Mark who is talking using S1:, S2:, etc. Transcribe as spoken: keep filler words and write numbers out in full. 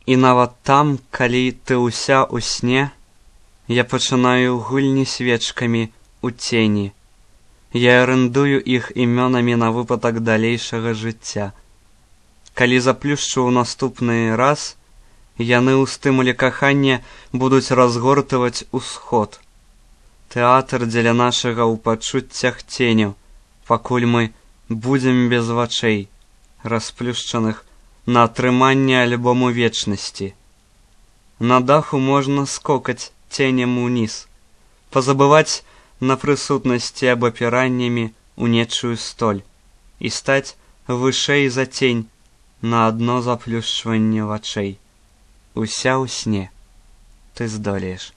S1: І нават там, калі ты ўся ў сне, я пачынаю гульні свечкамі ў цені. Я арендую іх імёнамі на выпадак далейшага жыцця. Калі заплюшчу ў наступны раз, яны ў стымуле кахання будуць разгортваць усход. Тэатр дзеля нашага ў пачуццях ценю, пакуль мы будзем без вачэй, расплюшчаных на атрыманне альбому вечнасці. На даху можна скокаць ценем уніз, пазабываць на прысутнасці абапіраннямі ў нечую столь і стаць вышэй за цень на адно заплюшчванне вачэй. Уся ў сне. Ты здолееш.